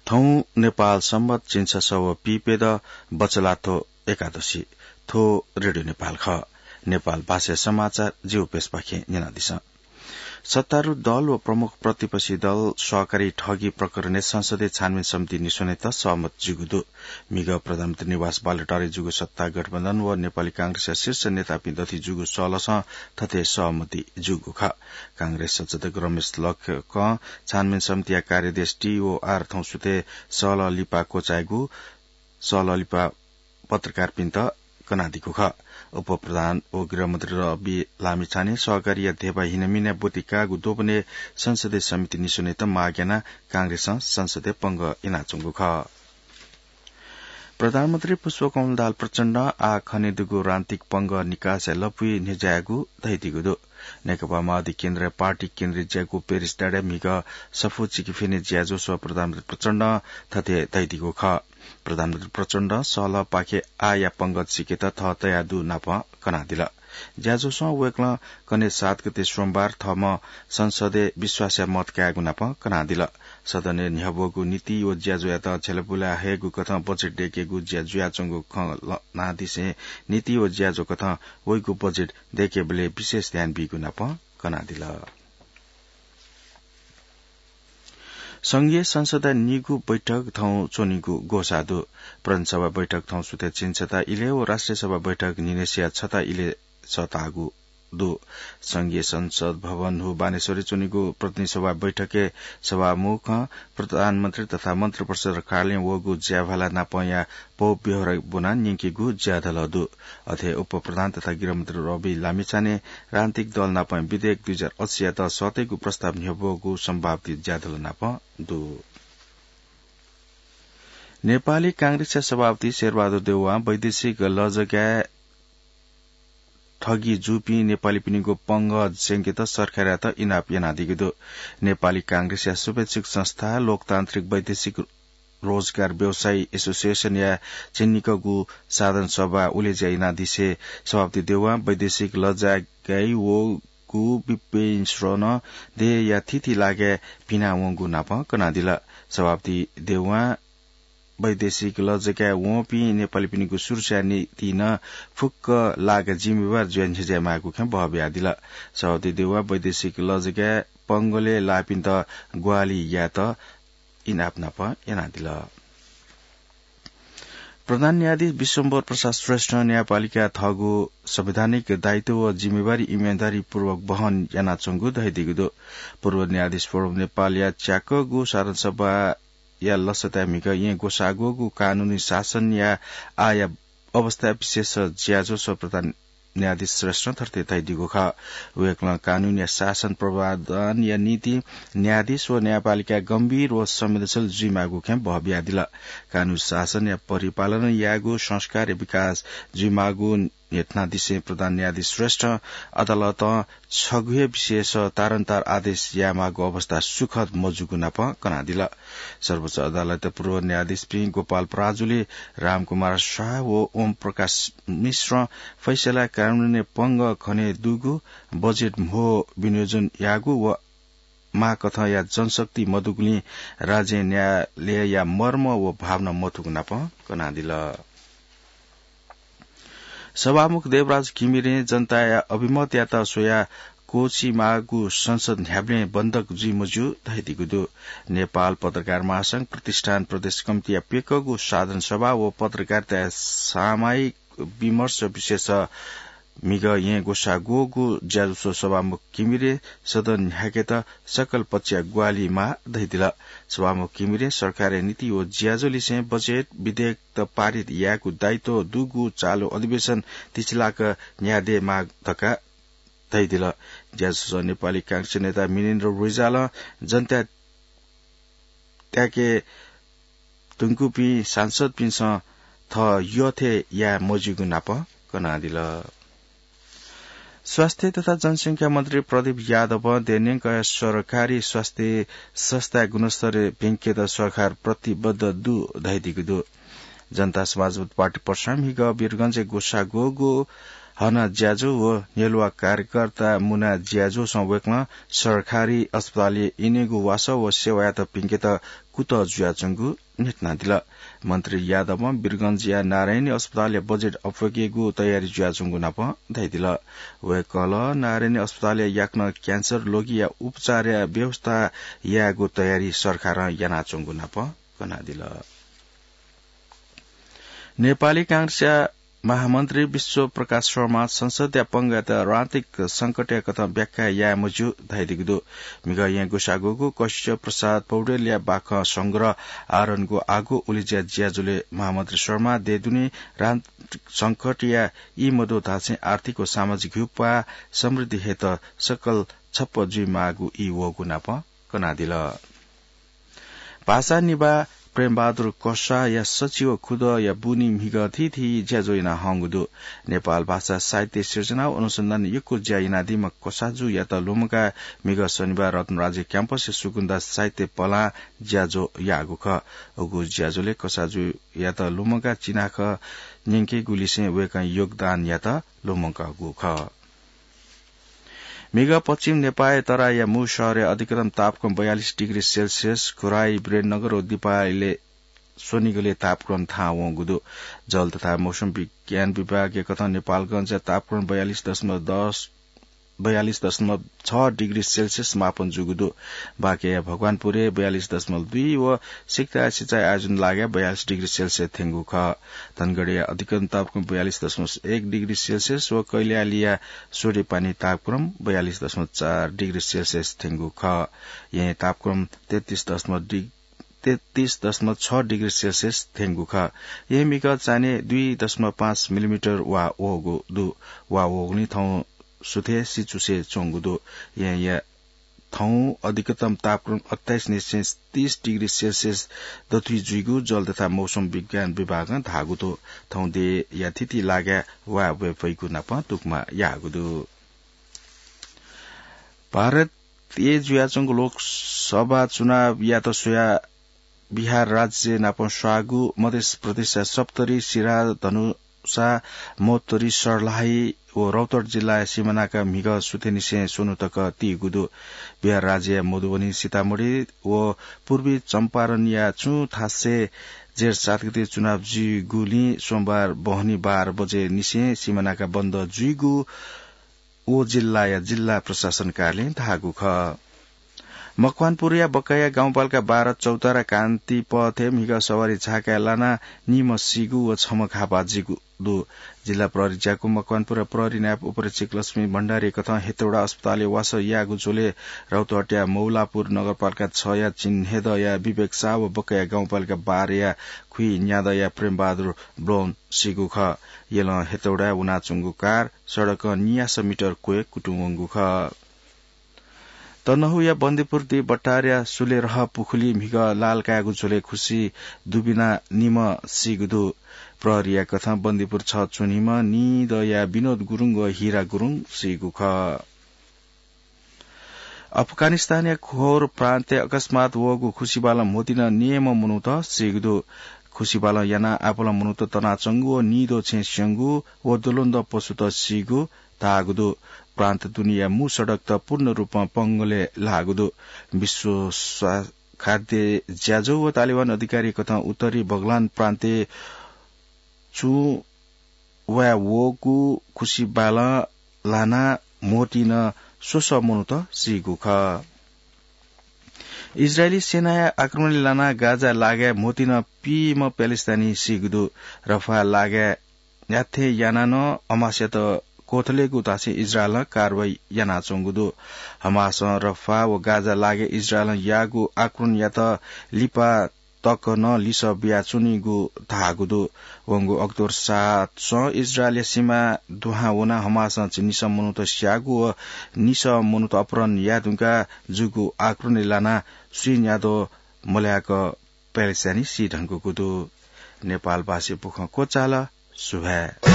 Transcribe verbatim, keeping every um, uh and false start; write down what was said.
थौं नेपाल संवत झिंछसः व पीप्यदँ बचलाथ्व एकादशी। थ्व रेडियो नेपाल खः। नेपाल भाषाया समाचार जिगु प्रेसपाखें न्यनादिसँ। सत्तारूढ दल व प्रमुख प्रतिपक्षी दल सहकारी ठगी प्रकरणय् संसदीय छानबिन समिति निस्वनेत सहमत जूगु दु। म्हिगः प्रधानमन्त्री निवास बालुवाटारय् जूगु सत्ता गठबन्धन व नेपाली कांग्रेसया शीर्ष नेतापिं दथुइ जूगु सहलसं थथे सहमति जूगु खः। कांग्रेस संसदीय रमेश लखकं छानबिन समितिया कार्याध्यक्ष टीओआर थौंसुथय् सहलह लिपा क्वचायेगु सहलह लिपा पत्रकारपिन्त कनादीगु खः। उपप्रधान व गृहमन्त्री रवि लामिछाने सहकारीया ध्यबा हिनामिना ब्वति काःगु द्वपनय् संसदीय समिति निस्वनेत माग यानाः कांग्रेसं संसदय् पंगः यानाच्वंगु खः। प्रधानमन्त्री पुष्पकमल दाहाल प्रचण्डं आः खनेदुगु राजनीतिक पंगः निकासया लँपुइ न्ह्यज्यायेगु धयादीगु दु। नेकपा माओवादी केन्द्रया पार्टी केन्द्रीय ज्याकू पेरिस डाँडाय् म्हिगः सफू चिकिफिने ज्याझ्वलय् प्रधानमन्त्री प्रचण्डं थथे धयादीगु खः। प्रधानमन्त्री प्रचण्डं सहलहपाखे आःया पंगः सिकेत थः तयादु नापं कनादिल। ज्याझ्वलय् वय्कलं कन्हय् सात गते सोमबार थःम्हं संसदय् विश्वासया मत कायेगु नापं कनादिल। सदनय् न्ह्यब्वःगु नीति व ज्याझ्वःयात झ्यलपुला हयेगु कथं बजेट दय्केगु ज्या जुयाच्वंगु खँ ल्हानादिसें नीति व ज्याझ्वः कथं वइगु बजेट दय्केबलय् विशेष ध्यान बीगु नापं कनादिल। संघीय संसदया निगू बैठक थौं च्वनीगु ग्वसाः दु। प्रतिनिधि सभा बैठक थौंसुथय् झिंछता इलय् व राष्ट्रिय सभा बैठक न्हिनय्सिया छता इलय् सःतागु दु। संघीय संसद भवन हु बानेश्वरय् च्वनीगु प्रतिनिधि सभा बैठकय् सभामुखं प्रधानमन्त्री तथा मन्त्रिपरिषद कार्यालयं वःगु ज्याभाला नापंया पौ ब्यहोरा ब्वनाः न्यंकीगु ज्याधलः दु। अथे उपप्रधान तथा गृहमन्त्री रवि लामिछाने राजनीतिक दल नापं विधेयक दुई हजार अस्सीयात सःतेगु प्रस्ताव न्ह्यब्वःगु सम्भावित ज्याधलः नापं दु। नेपाली कांग्रेसया सभापति शेरबहादुर देउवां वैदेशिक लजगाय् ठगी जूपिं नेपालीपिनिगु पंगः स्यंकेत सरकारयात इनाप यानादीगु दु। नेपाली कांग्रेसया शुभेच्छुक संस्था लोकतान्त्रिक वैदेशिक रोजगार व्यवसायी एसोसिएसनया झिंनिकःगु साधारण सभा उलेज्या यानादिसे सभापति देउवां वैदेशिक लजगाय् वःगु विपिन्स्रोनं देय्‌या थीथी लागाय् पिना वंगु नापं कनादिल। सभापति देउवां वैदेशिक लजगाय् वंपिं नेपालीपिनिगु सुरक्षा निंतिं नं फुक्क लागा जिम्मेवार जुयाः न्ह्यज्याये माःगु खँ बहबियादिल। सभापति देउवां वैदेशिक लजगाय् पंगलय् लाःपिन्त ग्वाहालि यायेत इनाप नापं यानादिल। प्रधान न्यायाधीश विश्वम्भर प्रसाद श्रेष्ठं न्यायपालिकां थःगु संवैधानिक दायित्व व जिम्मेवारी इमानदारीपूर्वक वहन यानाच्वंगु धयादीगु दु। पूर्व न्यायाधीश फोरम नेपालया च्याकःगु साधारण सभा या लसताय् म्हिगः येँ ग्वसाः ग्वःगु कानूनी शासनया आःया अवस्था विशेष ज्याझ्वलय् प्रधान न्यायाधीश श्रेष्ठं थथे धयादीगु खः। वय्कलं कानूनया शासन प्रवर्धनया निंतिं न्यायाधीश व न्यायपालिका गम्भीर व संवेदनशील जुइमाःगु खँ बहबियादिल। कानून शासनया परिपालन यायेगु संस्कारया विकास जुइमाःगु न्ह्यथनादिसें प्रधान न्यायाधीश श्रेष्ठं अदालतं छगू हे विषयस तारन्तार आदेश यायेमाःगु अवस्था सुखद मजूगु नापं कनादिल। सर्वोच्च अदालतया पूर्व न्यायाधीशपिं गोपाल पराजुली, रामकुमार शाह व ओम प्रकाश मिश्रं फैसला कानूनय् पंगः खने दुगु बजेट म्हो विनियोजन याःगु व माःकथंया जनशक्ति मदुगुलिं राज्य न्यायालयया मर्म व भावना मथूगु नापं कनादिल। सभामुख देवराज घिमिरें जनताया अभिमतयात स्वयाः क्वःछिमाःगु संसद न्ह्याबलें बन्धक जुइ मज्यू धयादीगु दु। नेपाल पत्रकार महासंघ प्रतिष्ठान प्रदेश कमिटीया प्यकःगु साधारण सभा व पत्रकारिताया सामयिक विमर्श विषयस म्हिगः येँ ग्वसाः ग्वःगु ज्याझ्वलय् सभामुख घिमिरें सदन न्ह्याकेत सकल पक्षया ग्वाहालि माः धयादिल। सभामुख घिमिरें सरकारया नीति व ज्याझ्वललिसें बजेट विधेयक पारित यायेगु दायित्व दुगु चालु अधिवेशन तिछिलाक न्ह्यादयेमाः धकाः धयादिल। ज्याझ्वलय् नेपाली कांग्रेस नेता मिनेन्द्र रिजालं जनताया त्याके धुंकूपिं सांसदपिन्सं थः यःथें याये मज्यूगु नापं कनादिल। स्वास्थ्य तथा जनसंख्या मन्त्री प्रदीप यादवं देय्‌न्यंकया सरकारी स्वास्थ्य संस्थाया गुणस्तर भिंकेत सरकार प्रतिबद्ध दु धयादीगु दु। जनता समाजवादी पार्टी पर्सा म्हिगः वीरगंजय् ग्वसाः ग्वःगु हना ज्याझ्वः व न्ह्यलुवा कार्यकर्ता मुना ज्याझ्वःसं वय्कलं सरकारी अस्पतालय् इनेगु वासः व सेवायात भिंकेत कुतः जुयाच्वंगु न्ह्यथनादिल। मन्त्री यादवं वीरगंजया नारायणी अस्पतालया बजेट अप्वय्केगु तयारी जुयाच्वंगु नाप धयादिल। वय्कलं नारायणी अस्पतालया याकनं क्यान्सर लोगिया उपचारया व्यवस्था यायेगु तयारी सरकारं यानाच्वंगु नाप कनादिल। नेपाली कांग्रेसया महामन्त्री विश्व प्रकाश शर्मा संसदया पंगःयात राजनीतिक संकटया कथं व्याख्या याये मज्यू धयादीगु दु। म्हिगः येँ ग्वसाः गुगु कैश्य प्रसाद पौडेलया बाखं संग्रह आवरणगु आगो उलेज्या ज्याझ्वलय् महामन्त्री शर्मा देय् दुने राजनीतिक संकटया ई मदु धासें आर्थिक व सामाजिक ह्युप्वाः समृद्धि हयेत सकल छप्प जुइमाःगु ई वःगु नाप कनादिल। भाषा निभाः प्रेमबहादुर कसाःया सचिव खुदँया बुनी म्हिगः थीथी ज्याझ्वः याना हंगु दु। नेपाल भाषा साहित्य सिर्जना व अनुसन्धान यक्व ज्या यानादीम्ह कसाःजुयात लुमंकाः म्हिगः शनिबार रत्नराज्य क्याम्पसय् सुकुन्दा साहित्य पलां ज्याझ्वः याःगु खः। उगु ज्याझ्वलय् कसाःजुयात लुमंकाः चिनाखँ न्यंकेगुलिसें वय्कःया योगदानयात लुमंकागु खः। म्हिगः पश्चिम नेपाःया तराईया मू शहरय् अधिकतम तापक्रम बयालिस डिग्री सेल्सियस, घुराइ, वीरेन्द्रनगर व दिपायलय् स्वनिगलय् तापक्रम थाहां वंगु दु। जल तथा मौसम विज्ञान विभागया कथं नेपालगंजया तापक्रम बयालिस दशमलव दस, बयालिस दशमलव छ डिग्री सेल्सियस मापन जूगु दु। बाँकेया भगवानपुरय् बयालिस दशमलव दुई व सिक्ताया सिँचाइ आयोजन लागाय् बयालिस डिग्री सेल्सियस थ्यंगु खः। धनगढीया अधिकतम तापक्रम बयालिस दशमलव एक डिग्री सेल्सियस व कैलालीया स्वरेपानी तापक्रम बयालिस दशमलव चार डिग्री सेल्सियस थ्यंगु खः। येँय् तापक्रम तेत्तिस दशमलव डिग-, तेत्तिस दशमलव छ डिग्री सेल्सियस थ्यंगु खः। येँय् म्हिगः चान्हय् दुई दशमलव पाँच मिलिमिटर वा वःगु दु। वा वःगुलिं थौं सुथय् सिचुसे च्वंगु दु। येँया थौं अधिकतम तापक्रम अट्ठाइस निसें तीस डिग्री सेल्सियस दथुइ जुइगु जल तथा मौसम विज्ञान विभागं धाःगु दु। थौं देय्‌या थीथी लागाय् वा वये फइगु नाप दुक्मा याःगु दु। भारतय् जुयाच्वंगु लोकसभा चुनावयात स्वयाः बिहार राज्य नाप स्वाःगु मध्य प्रदेशया सप्तरी, सिराहा, धनुषा, महोत्तरी, सर्लाही व रौतहट जिल्लाया सिमानाका म्हिगः सुथय्‌निसें स्वन्हु तक तीगु दु। बिहार राज्यया मधुबनी, सीतामढी व पूर्वी चम्पारणया छुं थासय् जेठ सात गते चुनाव जुइगुलिं सोमबार बहनी बाह्र बजे निसें सिमानाका बन्द जुइगु व जिल्लाया जिल्ला प्रशासन कार्यालयं धाःगु खः। मकवानपुरया बकया गाउँपालिका बाह्र चौतारा कान्ति पथय् म्हिगः सवारी झाकाय् लानाः निम्ह सीगु व छम्ह घाःपाः जूगु दु। जिल्ला प्रहरी ज्याकू मकवानपुर प्रहरी नायब उपरीक्षक लक्ष्मी भण्डारीकथं हेटौडा अस्पतालय् वासः याःगु झ्वलय् रौतहटया मौलापुर नगरपालिका छया चिन्हेदँया विवेक शाह व बकया गाउँपालिका बाह्रया खुइन्यादँया प्रेमबहादुर ब्लोन सीगु खः। यलं हेटौडाय् वनाच्वंगु कार सडकं नियासः मिटर क्वय् कुतुं वंगु खः। तनहुँया बन्दीपुर दुई बट्टारया सुलेरह पुखुली म्हिगः लाल कायेगु झ्वलय् खुसी दुबिनाः निम्ह सीगु दु। प्रहरीया कथं बन्दीपुर छ च्वनीम्ह निदँया विनोद गुरुङ व हिरा गुरुङ सीगु खः। अफगानिस्तानया खोर प्रान्तय् अकस्मात वःगु खुसीबालं म्होतिनं निम्ह मनूत सीगु दु। खुसीबालं यानाः आपालं मनूत तनाच्वंगु व निदँ छेँ स्यंगु व द्वलंद्वः पशुत सीगु धाःगु दु। प्रान्त दुनेया मू सडकत पूर्ण रूपं पंगलय् लाःगु दु। विश्व स्वा-, खाद्य ज्याझ्वः व तालिबान अधिकारीकथं उत्तरी बगलान प्रान्तय् चुं वाय् वःगु खुसीबालं लानाः म्होतिनं स्वसः मनूत सीगु खः। इजरायली सेनाया आक्रमणय् लानाः गाजा लागाय् म्होतिनं पीम्ह प्यालेस्तानी सीगु दु। रफाह लागाय् याथें यानाः नं हमासयात क्वथलेगु धासें इजरायलं कारवाही यानाच्वंगु दु। हमासं रफाह व गाजा लागाय् इजरायलं याःगु आक्रमणयात लिपा तक नं लिसः बियाच्वनीगु धाःगु दु। वंगु अक्टोबर सातसं इजरायलया सिमा दुहां वनाः हमासं निसः मनूत स्याःगु व निसः मनूत अपहरण याये धुंकाः जूगु आक्रमणय् लानाः स्वीन्याद्वः मल्हाय्क प्यालेस्तानी सी धुंकूगु दु। नेपालभाषी बुखँ क्वचाल। सुभाय्।